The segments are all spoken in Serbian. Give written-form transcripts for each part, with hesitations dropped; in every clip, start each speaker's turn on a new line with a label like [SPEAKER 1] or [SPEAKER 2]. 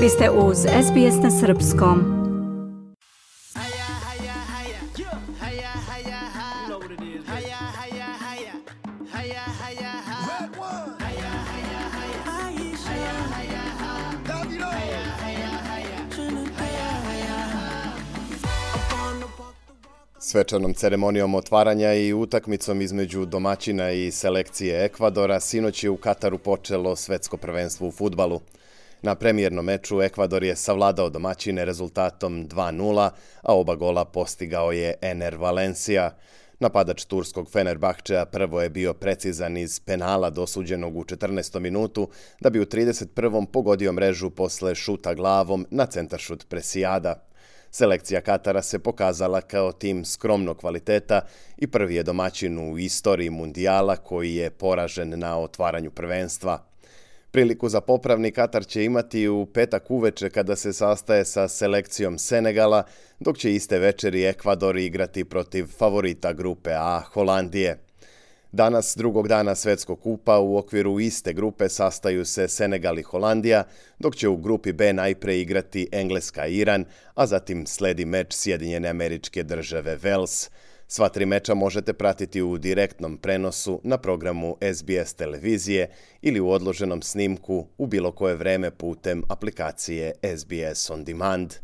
[SPEAKER 1] Vi ste uz SBS na srpskom.
[SPEAKER 2] Svečanom ceremonijom otvaranja i utakmicom između domaćina i selekcije Ekvadora sinoć je u Kataru počelo svetsko prvenstvo u fudbalu. Na premijernom meču Ekvador je savladao domaćine rezultatom 2:0, a oba gola postigao je Ener Valencia. Napadač turskog Fenerbahčea prvo je bio precizan iz penala dosuđenog u 14. minutu, da bi u 31. pogodio mrežu posle šuta glavom na centaršut Presijada. Selekcija Katara se pokazala kao tim skromnog kvaliteta i prvi je domaćin u istoriji mundijala koji je poražen na otvaranju prvenstva. Priliku za popravni Katar će imati u petak uveče kada se sastaje sa selekcijom Senegala, dok će iste večeri Ekvador igrati protiv favorita grupe A Holandije. Danas, drugog dana Svetskog kupa, u okviru iste grupe sastaju se Senegal i Holandija, dok će u grupi B najpre igrati Engleska i Iran, a zatim sledi meč Sjedinjene Američke Države Wales. Sva tri meča možete pratiti u direktnom prenosu na programu SBS televizije ili u odloženom snimku u bilo koje vreme putem aplikacije SBS On Demand.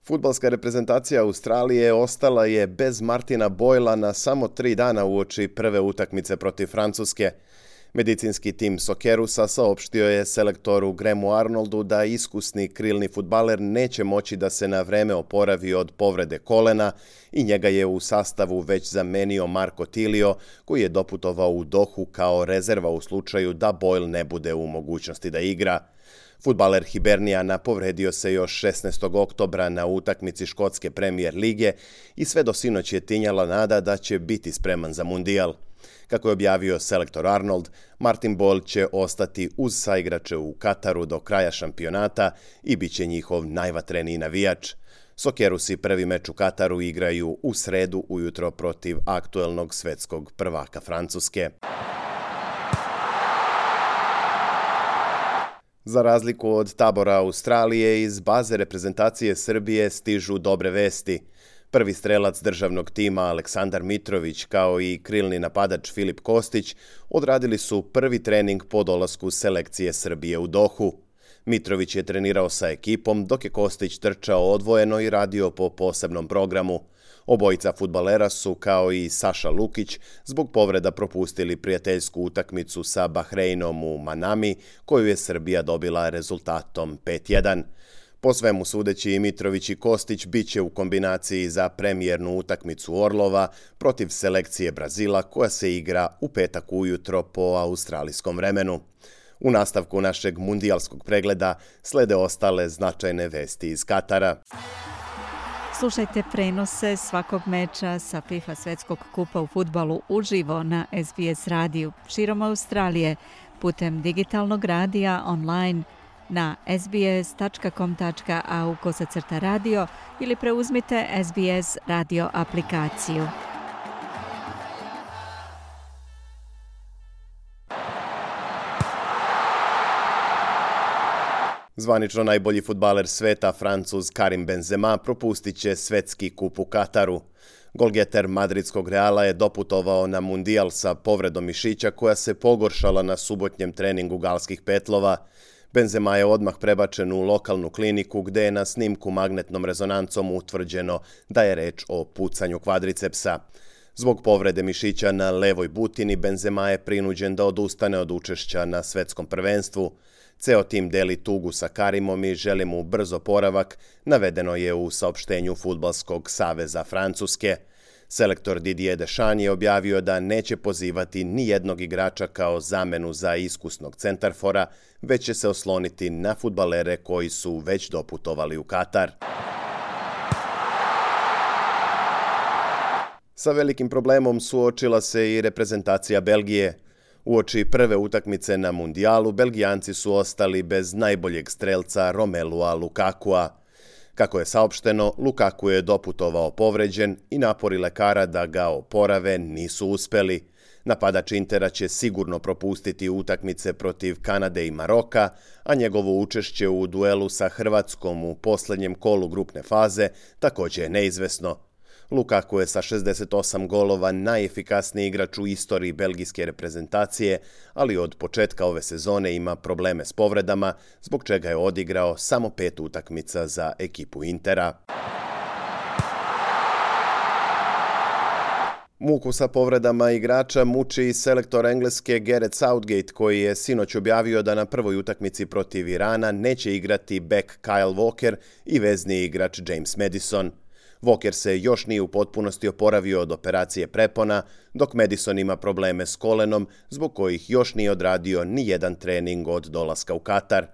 [SPEAKER 2] Fudbalska reprezentacija Australije ostala je bez Martina Boyla na samo 3 dana uoči prve utakmice protiv Francuske. Medicinski tim Soccerusa saopštio je selektoru Grahamu Arnoldu da iskusni krilni fudbaler neće moći da se na vreme oporavi od povrede kolena i njega je u sastavu već zamenio Marco Tilio, koji je doputovao u Dohu kao rezerva u slučaju da Boyle ne bude u mogućnosti da igra. Fudbaler Hibernijana povredio se još 16. oktobra na utakmici škotske premijer lige i sve do sinoć je tinjala nada da će biti spreman za mundijal. Kako je objavio selektor Arnold, Martin Boyle će ostati uz saigrače u Kataru do kraja šampionata i bit će njihov najvatreniji navijač. Soccerusi prvi meč u Kataru igraju u sredu ujutro protiv aktuelnog svetskog prvaka Francuske. Za razliku od tabora Australije, iz baze reprezentacije Srbije stižu dobre vesti. Prvi strelac državnog tima Aleksandar Mitrović kao i krilni napadač Filip Kostić odradili su prvi trening po dolasku selekcije Srbije u Dohu. Mitrović je trenirao sa ekipom, dok je Kostić trčao odvojeno i radio po posebnom programu. Obojica fudbalera su, kao i Saša Lukić, zbog povreda propustili prijateljsku utakmicu sa Bahreinom u Manami, koju je Srbija dobila rezultatom 5:1. Po svemu sudeći, Mitrović i Kostić bit će u kombinaciji za premijernu utakmicu Orlova protiv selekcije Brazila, koja se igra u petak ujutro po australijskom vremenu. U nastavku našeg mundijalskog pregleda slede ostale značajne vesti iz Katara.
[SPEAKER 1] Slušajte prenose svakog meča sa FIFA Svetskog kupa u fudbalu uživo na SBS radiju širom Australije, putem digitalnog radija online na sbs.com.au/radio ili preuzmite SBS radio aplikaciju.
[SPEAKER 2] Zvanično najbolji fudbaler sveta, Francuz Karim Benzema, propustit će svetski kup u Kataru. Golgeter madridskog Reala je doputovao na mundijal sa povredom mišića koja se pogoršala na subotnjem treningu galskih petlova. Benzema je odmah prebačen u lokalnu kliniku gde je na snimku magnetnom rezonancom utvrđeno da je reč o pucanju kvadricepsa. Zbog povrede mišića na levoj butini, Benzema je prinuđen da odustane od učešća na svetskom prvenstvu. Ceo tim deli tugu sa Karimom i želi mu brz oporavak, navedeno je u saopštenju Fudbalskog saveza Francuske. Selektor Didier Deschamps je objavio da neće pozivati ni jednog igrača kao zamenu za iskusnog centarfora, već će se osloniti na fudbalere koji su već doputovali u Katar. Sa velikim problemom suočila se i reprezentacija Belgije. Uoči prve utakmice na mundijalu, Belgijanci su ostali bez najboljeg strelca Romelua Lukakua. Kako je saopšteno, Lukaku je doputovao povređen i napori lekara da ga oporave nisu uspeli. Napadač Intera će sigurno propustiti utakmice protiv Kanade i Maroka, a njegovo učešće u duelu sa Hrvatskom u posljednjem kolu grupne faze također je neizvesno. Lukaku je sa 68 golova najefikasniji igrač u istoriji belgijske reprezentacije, ali od početka ove sezone ima probleme s povredama, zbog čega je odigrao samo 5 utakmica za ekipu Intera. Muku sa povredama igrača muči i selektor Engleske Gareth Southgate, koji je sinoć objavio da na prvoj utakmici protiv Irana neće igrati bek Kyle Walker i vezni igrač James Maddison. Walker se još nije u potpunosti oporavio od operacije prepona, dok Maddison ima probleme s kolenom, zbog kojih još nije odradio ni jedan trening od dolaska u Katar.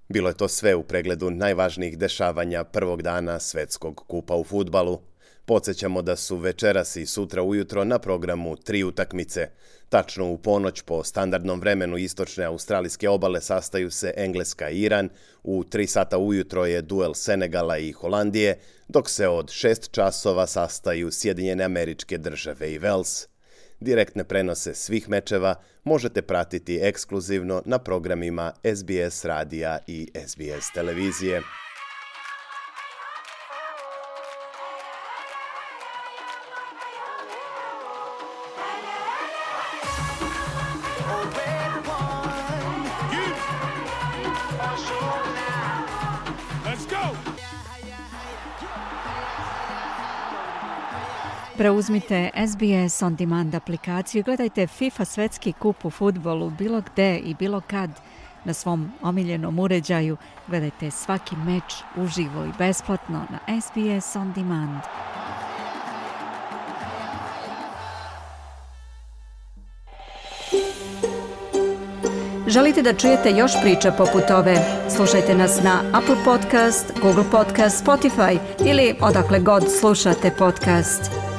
[SPEAKER 2] Bilo je to sve u pregledu najvažnijih dešavanja prvog dana Svetskog kupa u fudbalu. Podsjećamo da su večeras i sutra ujutro na programu 3 utakmice. Tačno u ponoć po standardnom vremenu istočne australijske obale sastaju se Engleska i Iran, u 3 sata ujutro je duel Senegala i Holandije, dok se od 6 časova sastaju Sjedinjene Američke Države i Wales. Direktne prenose svih mečeva možete pratiti ekskluzivno na programima SBS radija i SBS televizije.
[SPEAKER 1] Preuzmite SBS On Demand aplikaciju i gledajte FIFA Svetski kup u fudbalu bilo gde i bilo kad na svom omiljenom uređaju. Gledajte svaki meč uživo i besplatno na SBS On Demand. Želite da čujete još priča poput ove? Slušajte nas na Apple Podcast, Google Podcast, Spotify ili odakle god slušate podcast.